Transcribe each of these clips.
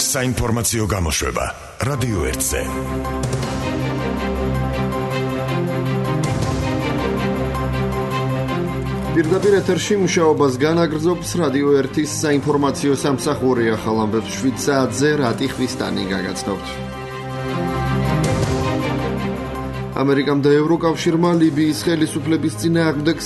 საინფორმაციო გამოშვება რადიო 1-ზე. პირდაპირ ეთერში მუშაობას განაგრძობს რადიო 1-ის საინფორმაციო სამსახური. ახალ ამბებს 7 საათზე რატი ხვისტანი გაგაცნობთ. ამერიკამ და ევროკავშირმა ლიბიის ხელისუფლების წინააღმდეგ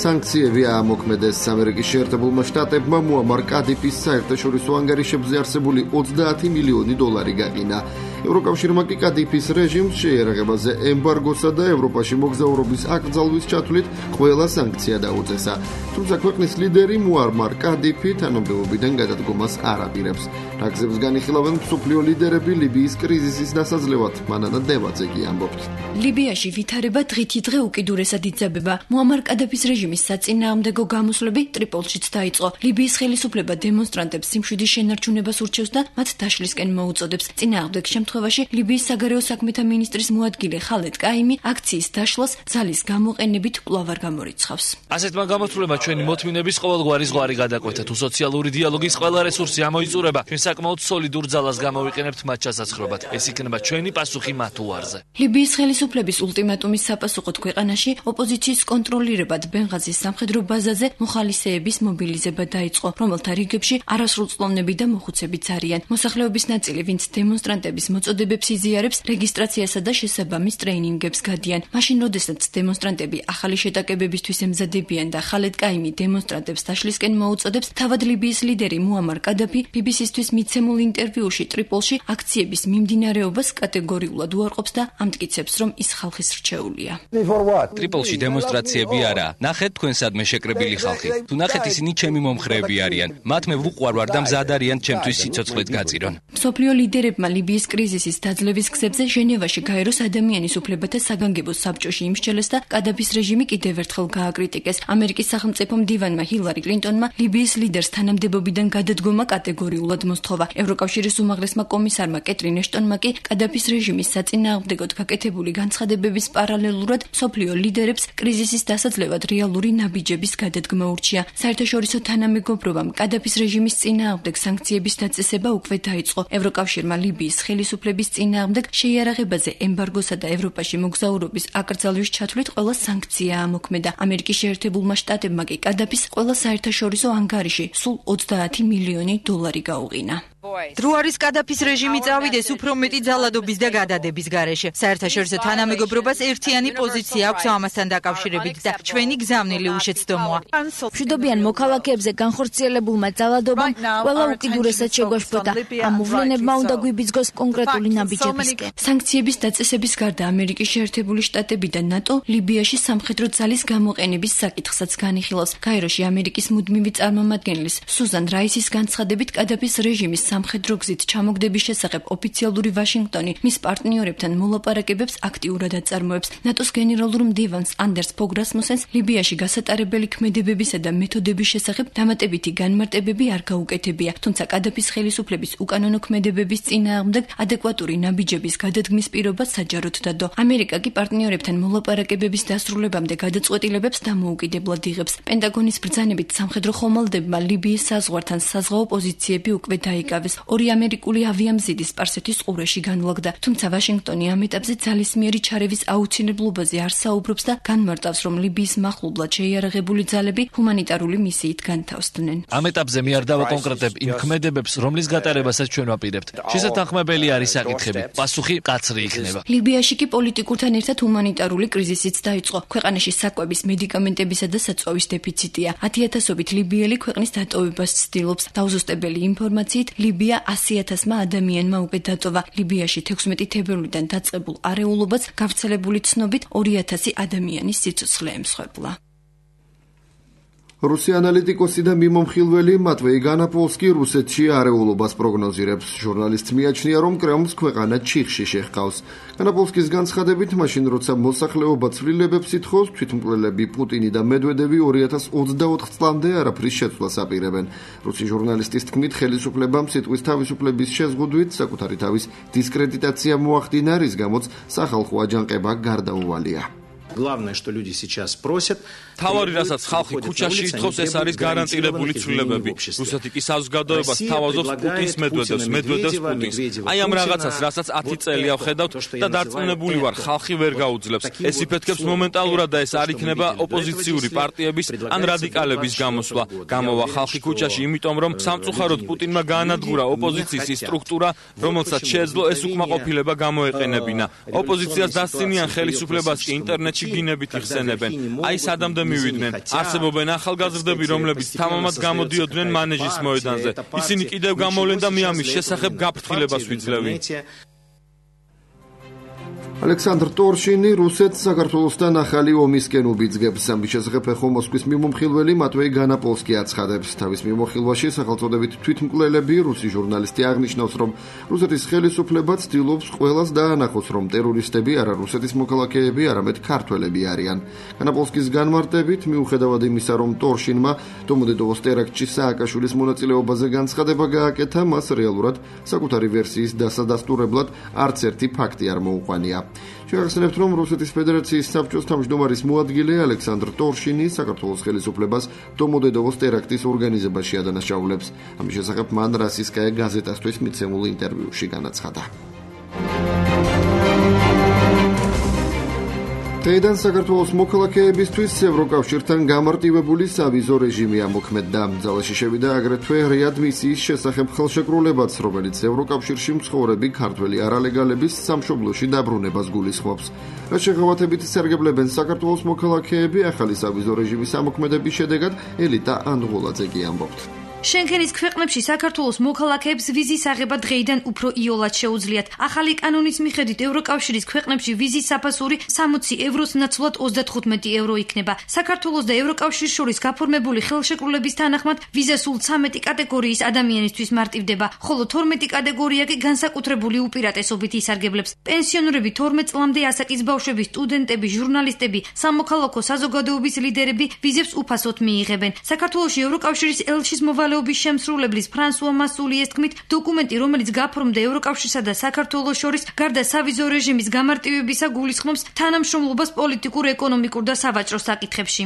სანქციები აამოქმედეს. ამერიკის შეერთებულმა შტატებმა მუამარ კადიფის საერთაშორისო ანგარიშებზე არსებული $30 მილიონი გაყინა. ევროკავშირმა კი კადიფის რეჟიმს შეიარაღებაზე ემბარგოსა და ევროპაში მოგზაურობის აკრძალვის ჩათვლით ყველა სანქცია დაუწესა. თუმცა ქვეყნის ლიდერი მუამარ კადიფი თანამდებობიდან გადადგომას არ აპირებს. რაგზებს განიხილავენ მსოფლიო ლიდერები ლიბიის კრიზისის დასაძლევად. მანანა დევაძე კი ამბობს. ლიბიაში ვითარება დღითიდღე უკიდურესად იძაბება. მუამარ კადაფის რეჟიმის საწინააღმდეგო გამოსვლები ტრიპოლშიც დაიწყო. ლიბიის ხელისუფლება დემონსტრანტებს სიმშვიდის შენარჩუნებას ურჩევს და მათ დაშლისკენ მოუწოდებს. წინააღმდეგ შემთხვევაში ლიბიის საგარეო საქმეთა მინისტრის მოადგილე ხალედ კაიმი აქციის დაშლას ძალის გამოყენებით კვლავ არ გამორიცხავს. ასეთმა გამოსვლებმა ჩვენი მოთმინების ყოველგვარი ზღვარი გადაკვეთა. თუ სოციალური დიალოგის ყველა რესურსი ამოიწურება, ჩვენ საკმაოდ სოლიდურ ძალას გამოვიყენებთ მათ ჩასაცხრობად. ეს იქნება ჩვენი პასუხი მათ უარზე. ლიბიის ხელისუფლების ულტიმატუმის საპასუხოდ ქვეყანაში ოპოზიციის კონტროლირებად ბენღაზის სამხედრო ბაზაზე მოხალისეების მობილიზება დაიწყო, რომელთა რიგებში არასრულწლოვნები და მოხუცებიც არიან. მოსახლეობის ნაწილი, ვინც დემონსტრანტების მოწოდებებს იზიარებს, რეგისტრაციასა და შესაბამის ტრეინინგებს გადიან. მაშინ, როდესაც დემონსტრანტები ახალი შეტაკებებისთვის ემზადებიან და ხალედ კაიმი დემონსტრანტებს დაშლისკენ მოუწოდებს, თავად ლიბიის ლიდერი მუამარ კადაფი BBC-ისთვის მიცემულ ინტერვიუში ტრიპოლში აქციების მიმდინარეობას კატეგორიულად უარყოფს და ამტკიცებს, რომ ის ხალხის რჩეულია. ტრიპოლში დემონსტრაციები არა. ნახეთ თქვენ სადმე შეკრებილი ხალხი. თუ ნახეთ ისინი ჩემი მომხრეები არიან. მათ მე ვუყვარ ვარ და მზად არიან ჩემთვის სიცოცხლეც გაწირონ. მსოფლიო ლიდერებმა ლიბიის კრიზისის დაძლევის გზებზე ჟენევაში გაეროს ადამიანის უფლებათა საგანგებო საბჭოში იმსჯელეს და კადაფის რეჟიმი კიდევ ერთხელ გააკრიტიკეს. ამერიკის სახელმწიფო მდივანმა ჰილარი კლინტონმა ლიბიის ლიდერს თანამდებობიდან გადადგომა კატეგორიულად მოსთხოვა. ევროკავშირის უმაღლესმა კომისარმა კეტრინ ეშტონმა კი კადაფის რეჟიმის საწინააღმდეგოდ გაკეთებული განცხადებების პარალელურად მსოფლიო ლიდერებს კრიზისის დასაძლევად რეალური ნაბიჯების გადადგმა ურჩია. საერთაშორისო თანამეგობრობამ კადაფის რეჟიმის წინააღმდეგ სანქციების დაწესება უკვე დაიწყო. ევროკავშირმა ლიბიის ხელისუფლების წინააღმდეგ შეიარაღებაზე ემბარგოსა და ევროპაში მოგზაურობის აკრძალვის ჩათვლით ყველა სანქცია ამოქმედა. ამერიკის შეერთებულმა შტატებმა კი კადაფის ყველა საერთაშორისო ანგარიში სულ $30 მილიონი გაუღინა. დრო არის კადაფის რეჟიმი წავიდეს უფრო მეტი ძალადობის და გადადების გარეშე. საერთაშორისო თანამეგობრობას ერთიანი პოზიცია აქვს ამასთან დაკავშირებით და ჩვენი გზავნილი უშეცდომოა. მშვიდობიან მოქალაქეებზე განხორციელებულმა ძალადობამ ყველა უკიდურესად შეგვაშფოთა. ამ მოვლენებმა უნდა გვიბიძგოს კონკრეტული ნაბიჯებისკენ. სანქციების დაწესების გარდა ამერიკის შეერთებული შტატები და ნატო ლიბიაში სამხედრო ძალის გამოყენების საკითხსაც განიხილავს. გაეროში ამერიკის მუდმივი წარმომადგენლის სუზან რაისის განცხადებით კადაფის რეჟიმის სამხედრო გზით ჩამოგდების შესახებ ოფიციალური ვაშინგტონი მის პარტნიორებთან მოლაპარაკებებს აქტიურად აწარმოებს. ნატოს გენერალურ მდივანს ანდერს ფოგ რასმუსენს ლიბიაში გასატარებელი ქმედებებისა და მეთოდების შესახებ დამატებითი განმარტებები არ გაუკეთებია. თუმცა კადაფის ხელისუფლების უკანონო ქმედებების წინააღმდეგ ადეკვატური ნაბიჯების გადადგმის პირობა საჯაროდ დადო. ამერიკა კი პარტნიორებთან მოლაპარაკებების დასრულებამდე გადაწყვეტილებებს დამოუკიდებლად იღებს. პენტაგონის ბრძანებით სამხედრო ხომალდებმა ლიბიის საზღვართან საზღვაო პოზიციები უკვე დაიკავეს. ორი ამერიკული ავიამზიდი სპარსეთის ყურეში განლაგდა. თუმცა ვაშინგტონი ამ ეტაპზე ძალისმიერი ჩარევის აუცილებლობაზე არ საუბრობს და განმარტავს, რომ ლიბიის მახლობლად შეიარაღებული ძალები ჰუმანიტარული მისიით განთავსდნენ. ამ ეტაპზე მე არ დავაკონკრეტებ იმ ქმედებებს, რომლის გატარებასაც ჩვენ ვაპირებთ. შესათანხმებელი არის საკითხები. პასუხი კაცრი იქნება. ლიბიაში კი პოლიტიკურთან ერთად ჰუმანიტარული კრიზისიც დაიწყო. ქვეყანაში საკვების, მედიკამენტებისა და საწვავის დეფიციტია. 10,000-ობით ლიბიელი ქვეყნის დატოვებას ცდილობს. დაუზუსტებელი ინფორმაციით ლიბია 100,000-მა ადამიანმა უკვე დატოვა. ლიბიაში 16 თებერვლიდან დაწყებულ არეულობას გავრცელებული ცნობით 2,000 ადამიანის სიცოცხლე ემსხვერპლა. რუსი ანალიტიკოსი და მიმომხილველი მატვეი განაპოლსკი რუსეთში არეულობას პროგნოზირებს. ჟურნალისტს მიაჩნია, რომ კრემლს ქვეყანა ჩიხში შეჰყავს. განაპოლსკის განცხადებით, მაშინ როცა მოსახლეობა ცვლილებებს ითხოვს, თვითმკვლელები პუტინი და მედვედევი 2024 წლამდე არაფრის შეცვლას აპირებენ. რუსი ჟურნალისტის თქმით, ხელისუფლებამ სიტყვის თავისუფლების შეზღუდვით საკუთარი თავის დისკრედიტაცია მოახდინა, რის გამოც სახალხო აჯანყება გარდაუვალია. Главное, что люди сейчас просят. თავარი რასაც ხალხი ქუჩაში ითხოვს, ეს არის გარანტირებული ცვლილებები. რუსეთი კი საზოგადოებას თავაზობს პუტინს მედვედევს პუტინს. აი ამ რაღაცას, რასაც 10 წელია ვხედავთ და დარწმუნებული ვარ, ხალხი ვერ გაუძლებს. ეს იფეთქებს მომენტალურად და ეს არ იქნება ოპოზიციური პარტიების ან რადიკალების გამოსვლა. გამოვა ხალხი ქუჩაში, იმიტომ რომ სამწუხაროდ პუტინმა გაანადგურა ოპოზიციის ის სტრუქტურა, რომელსაც შეეძლო ეს უკმაყოფილება გამოეყენებინა. ოპოზიციას დასცინიან ხელისუფლებას კი ინტერნეტში გინებით იხსენებენ. აი სადამდე მივიდნენ. არსებობენ ახალგაზრდები, რომლებიც თამამად გამოდიოდნენ მანეჟის მოედანზე. ისინი კიდევ გამოვლენ და მე ამის შესახებ გაფრთხილებას ვიძლევი. ალექსანდრ ტორშინი რუსეთს საქართველოსთან ახალი ომისკენ უბიძგებს. ამის შესახებ ეხო მოსკვის მიმომხილველი მატვეი განაპოლსკი აცხადებს. თავის მიმოხილვაში სახელწოდებით თვითმკვლელები რუსი ჟურნალისტი აღნიშნავს, რომ რუსეთის ხელისუფლება ცდილობს ყველას დაანახოს, რომ ტერორისტები არა რუსეთის მოქალაქეები, არამედ ქართველები არიან. განაპოლსკის განმარტებით, მიუხედავად იმისა, რომ ტორშინმა დომოდედოვოს ტერაქტში სააკაშვილის მონაწილეობაზე განცხადება გააკეთა, მას რეალურად საკუთარი ვერსიის დასადასტურებლად არც ერთი ფაქტი არ მოუყვანია. შევახსენებთ, რომ რუსეთის ფედერაციის საბჭოს თავმჯდომარის მოადგილე ალექსანდრ ტორშინი საქართველოს ხელისუფლებას დომოდედოვოს ტერაქტის ორგანიზებაში ადანაშაულებს. ამის შესახებ მან რასისკაია გაზეტასთვის მიცემულ ინტერვიუში განაცხადა. დღეიდან საქართველოს მოქალაქეებისთვის ევროკავშირთან გამარტივებული სავიზო რეჟიმი ამოქმედდა. ძალაში შევიდა აგრეთვე რეადმისიის შესახებ ხელშეკრულებაც, რომელიც ევროკავშირში მცხოვრები ქართველი არალეგალების სამშობლოში დაბრუნებას გულისხმობს. რაც შეღავათებით სარგებლებენ საქართველოს მოქალაქეები, ახალი სავიზო რეჟიმის ამოქმედების შედეგად ელიტა ანდღულაძე კი ამბობთ. შენგენის ქვეყნებში საქართველოს მოქალაქეებს ვიზის აღება დღეიდან უფრო იოლად შეუძლიათ. ახალი კანონის მიხედვით ევროკავშირის ქვეყნებში ვიზის საფასური 60 ევროს ნაცვლად 35 евро იქნება. საქართველოს და ევროკავშირის შორის გაფორმებული ხელშეკრულების თანახმად ვიზა სულ 13 კატეგორიის ადამიანისთვის მარტივდება, ხოლო 12 კატეგორია კი განსაკუთრებული უპირატესობით ისარგებლებს. პენსიონერები, 12 წლამდე ასაკის ბავშვები, სტუდენტები, ჟურნალისტები, სამოქალაქო საზოგადოების ლიდერები ვიზებს უფასოდ მიიღებენ. საქართველოში ევროკავშირის ელჩის მოვალეობის შემსრულებლის ფრანსუა მასულიეს თქმით, დოკუმენტი, რომელიც გაფორმდა ევროკავშირსა და საქართველოს შორის, გარდა სავიზო რეჟიმის გამარტივებისა გულისხმობს თანამშრომლობას პოლიტიკურ, ეკონომიკურ და სავაჭრო საკითხებში.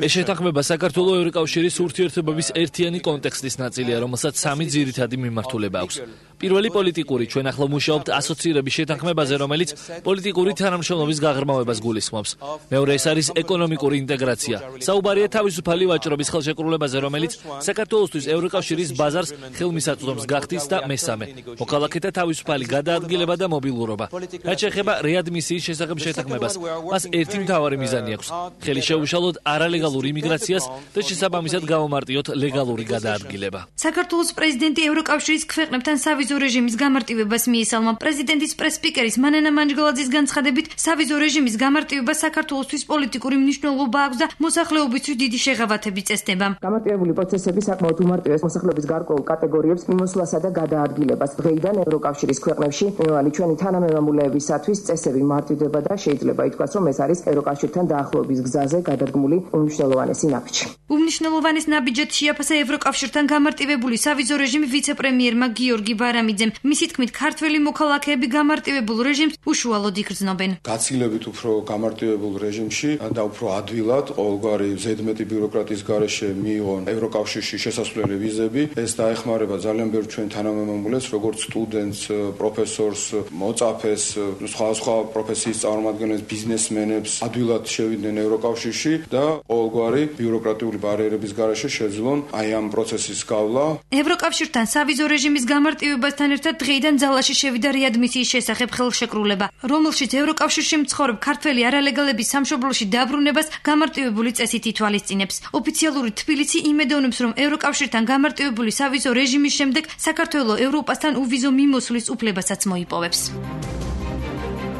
ეს შეთანხმება საქართველოს ევროკავშირის ურთიერთობების ერთიანი კონტექსტის ნაწილია, რომელსაც 3 ძირითადი მიმართულება აქვს. პირველი პოლიტიკური, ჩვენ ახლა მუშაობთ ასოცირების შეთანხმებაზე, რომელიც პოლიტიკური თანამშრომლობის გაღრმავებას გულისხმობს. მეორე ეს არის ეკონომიკური ინტეგრაცია. საუბარია თავისუფალი ვაჭრობის ხელშეკრულებაზე, რომელიც საქართველოსთვის ევროკავშირის ბაზარს ხელმისაწვდომს გახდის და მესამე, მოქალაქეთა თავისუფალი გადაადგილება და მობილურობა. რაც შეეხება რეადმისიის შესახებ შეთანხმებას, მას ერთი მთავარი მიზანი აქვს: ხელი შეუშალოთ არალეგალურ იმიგრაციას და შესაბამისად გამომარტიოთ ლეგალური გადაადგილება. საქართველოს პრეზიდენტი ევროკავშირის ქვეყნებთან სავიზო რეჟიმის გამარტივებას მიესალმა. პრეზიდენტის პრესპიკერის მანანა მანჯგალაძის განცხადებით, სავიზო რეჟიმის გამარტივება საქართველოსთვის პოლიტიკური მნიშვნელობა აქვს და მოსახლეობისთვის დიდი შეღავათები წესდება. გამარტივებული პროცესები საკმაოდ უმარტივეს მოსახლეობის გარკვეულ კატეგორიებს მიმოსვლასა და გადაადგილებას. დღეიდან ევროკავშირის ქვეყნებში მიმავალი ჩვენი თანამემამულეებისათვის წესები მარტივდება და შეიძლება ითქვას, რომ ეს არის ევროკავშირთან დაახლოების გზაზე გადადგმული უმნიშვნელოვანესი ნაბიჯი. უმნიშვნელოვანეს ნაბიჯად შეაფასა ევროკავშირთან გამარტივებული სავიზო რეჟიმი ვიცე-პრემიერმა გიორგი ბარამიძემ. მისი თქმით, ქართველი მოქალაქეები გამარტივებულ რეჟიმს უშუალოდ იგრძნობენ. გაცილებით უფრო გამარტივებულ რეჟიმში და უფრო ადვილად ყოველგვარი ზედმეტი ბიუროკრატიის გარეშე მიიღონ ევროკავშირში შესასვლელი ვიზები. ეს დაეხმარება ძალიან ბევრ ჩვენ თანამემამულეს, როგორც სტუდენტს, პროფესორს, მოწაფეს, სხვა პროფესიის წარმომადგენლებს, ბიზნესმენებს ადვილად შევიდნენ ევროკავშირში და ყოველგვარი ბიუროკრატიული ბარიერების გარეშე შეძლონ აი ამ პროცესის გავლა. ევროკავშირთან სავიზო რეჟიმის გამარტივებასთან ერთად დღეიდან ძალაში შევიდა რეადმისიის შესახებ ხელშეკრულება, რომელშიც ევროკავშირში მცხოვრებ ქართველი არალეგალების სამშობლოში დაბრუნებას გამარტივებული წესით ითვალისწინებს. ოფიციალური თბილისი იმედოვნებს, რომ ევროკავშირთან გამარტივებული სავიზო რეჟიმის შემდეგ საქართველოს ევროპასთან უვიზო მიმოსვლის უფლებასაც მოიპოვებს.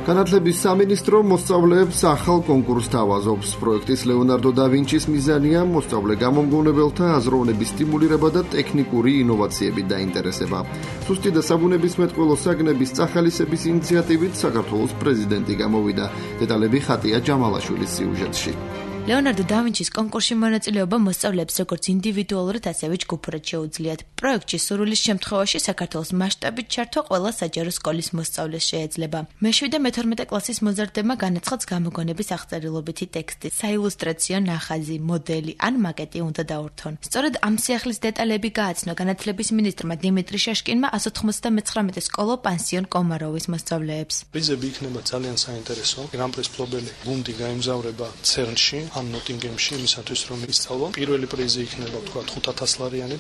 განათლების სამინისტრო მოსწავლეებს ახალ კონკურსს თავაზობს. პროექტის ლეონარდო და ვინჩის მიზანია მოსწავლე გამომგონებელთა აზროვნების სტიმულირება და ტექნიკური ინოვაციებით დაინტერესება. სუსტი და საბუნებისმეტყველო საგნების წახალისების ინიციატივით საქართველოს პრეზიდენტი გამოვიდა. დეტალები ხატია ჯამალაშვილის სიუჟეტში. ლეონარდო და ვინჩის კონკურსში მონაწილეობა მოსწავლეებს როგორც ინდივიდუალურად, ასევე ჯგუფურად შეუძლიათ. პროექტში სურვილის შემთხვევაში საქართველოს მასშტაბით ჩართვა ყველა საჯარო სკოლის მოსწავლეს შეეძლება. მე-7 და მე-12 კლასის მოზარდებმა განაცხადს გამოგონების აღწერილობითი ტექსტი, საილუსტრაციო ნახაზი, მოდელი ან მაკეტი უნდა დაურთონ. სწორედ ამ სიახლის დეტალები გააცნო განათლების მინისტრმა დიმიტრი შაშკინმა 199 სკოლო პანსიონ კომაროვის მოსწავლეებს. პრიზები იქნება ძალიან საინტერესო. გრან-პრის მფლობელი გუნდი გაემგზავრება CERN-ში ან ნოტინგემში იმისათვის რომ ისწავლონ. პირველი პრიზი იქნება თქვა 5000 ლარიანი.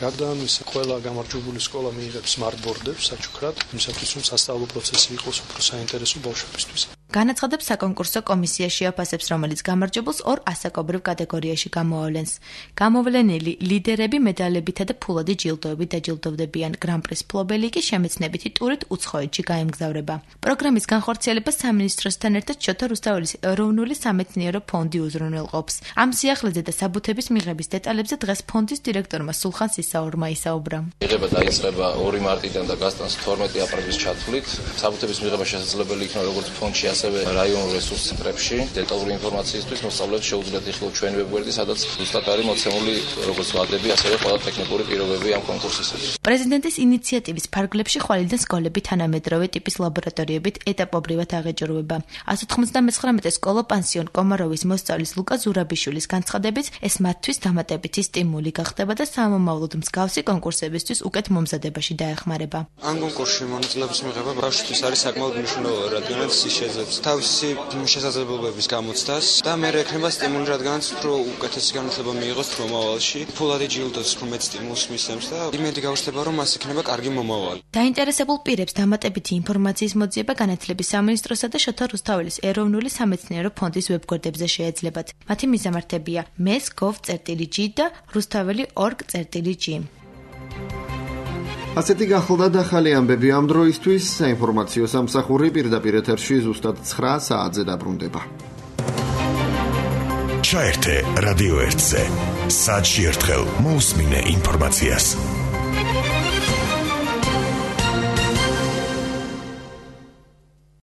გარდა ამისა, ყველა გამარჯვებული სკოლა მიიღებს სმარტბორდებს საჩუქრად, იმისათვის რომ სასწავლო პროცესი იყოს უფრო საინტერესო ბავშვებისთვის. განაცხადებს საკონკურსო კომისია შეაფასებს, რომელიც გამარჯვებულს 2 ასაკობრივ კატეგორიაში გამოავლენს. გამოვლენილი ლიდერები მედალებითა და ფულადი ჯილდოებით დაჯილდოვდებიან. გრან-პრის მფლობელი კი შემეცნებითი ტურით უცხოეთში გაემგზავრება. პროგრამის განხორციელებას სამინისტროსთან ერთად შოთა რუსთაველის ეროვნული სამეცნიერო ფონდი უზრუნველყოფს. ამ სიახლეზე და საბუთების მიღების დეტალებზე დღეს ფონდის დირექტორმა სულხან სისაურმა ისაუბრა. მიღება დაიწყება 2 მარტიდან და გასტანს 12 აპრილის ჩათვლით. საბუთების მიღება შესაძლებელი იქნება როგორც ფონდში, ასევე რაიონულ რესურს ცენტრებში. დეტალური ინფორმაციისთვის მოსწავლეებს შეუძლიათ იხილოთ ჩვენი ვებგვერდი, სადაც ზუსტად არის მოცემული როგორც ვადები, ასევე ყველა ტექნიკური პირობები ამ კონკურსისათვის. პრეზიდენტის ინიციატივის ფარგლებში ხვალიდან სკოლები თანამედროვე ტიპის ლაბორატორიებით ეტაპობრივად აღეჯრუება. 199 სკოლო პანსიონ კომაროვის მოსწავლის ლუკა ზურაბიშვილის განცხადებით, ეს მათთვის დამატებითი სტიმული გახდება და სამომავლოდ მსგავსი კონკურსებისთვის უკეთ მომზადებაში დაეხმარება. ამ კონკურსში მონაწილეობის მიღება ბავშვისთვის არის საკმაოდ მნიშვნელოვანი, რადგანაც ის შეძლებს თავისი შესაძლებლობების გამოცდას და მე ექნება სტიმული, რადგანაც უფრო უკეთესი განათლება მიიღოს მომავალში. ფულადი ჯილდოს უფრო მეტ სტიმულს მისცემს და იმედი გავსდება, რომ მას იქნება კარგი მომავალი. დაინტერესებულ პირებს დამატებითი ინფორმაციის მოძიება განათლების სამინისტროსა და შოთა რუსთაველის ეროვნული სამეცნიერო ფონდის ვებგვერდებზე შეეძლებათ. მათი მიზამართებია mes.gov.g და rustaveli.org.g. ასეთი გახლდა ახალი ამბები ამ დროისთვის. საინფორმაციო სამსახური პირდაპირ ეთერში ზუსტად 9 საათზე დაბრუნდება. ჩაერთე რადიო 1-ზე. საათში ერთხელ მოусმინე ინფორმაციას.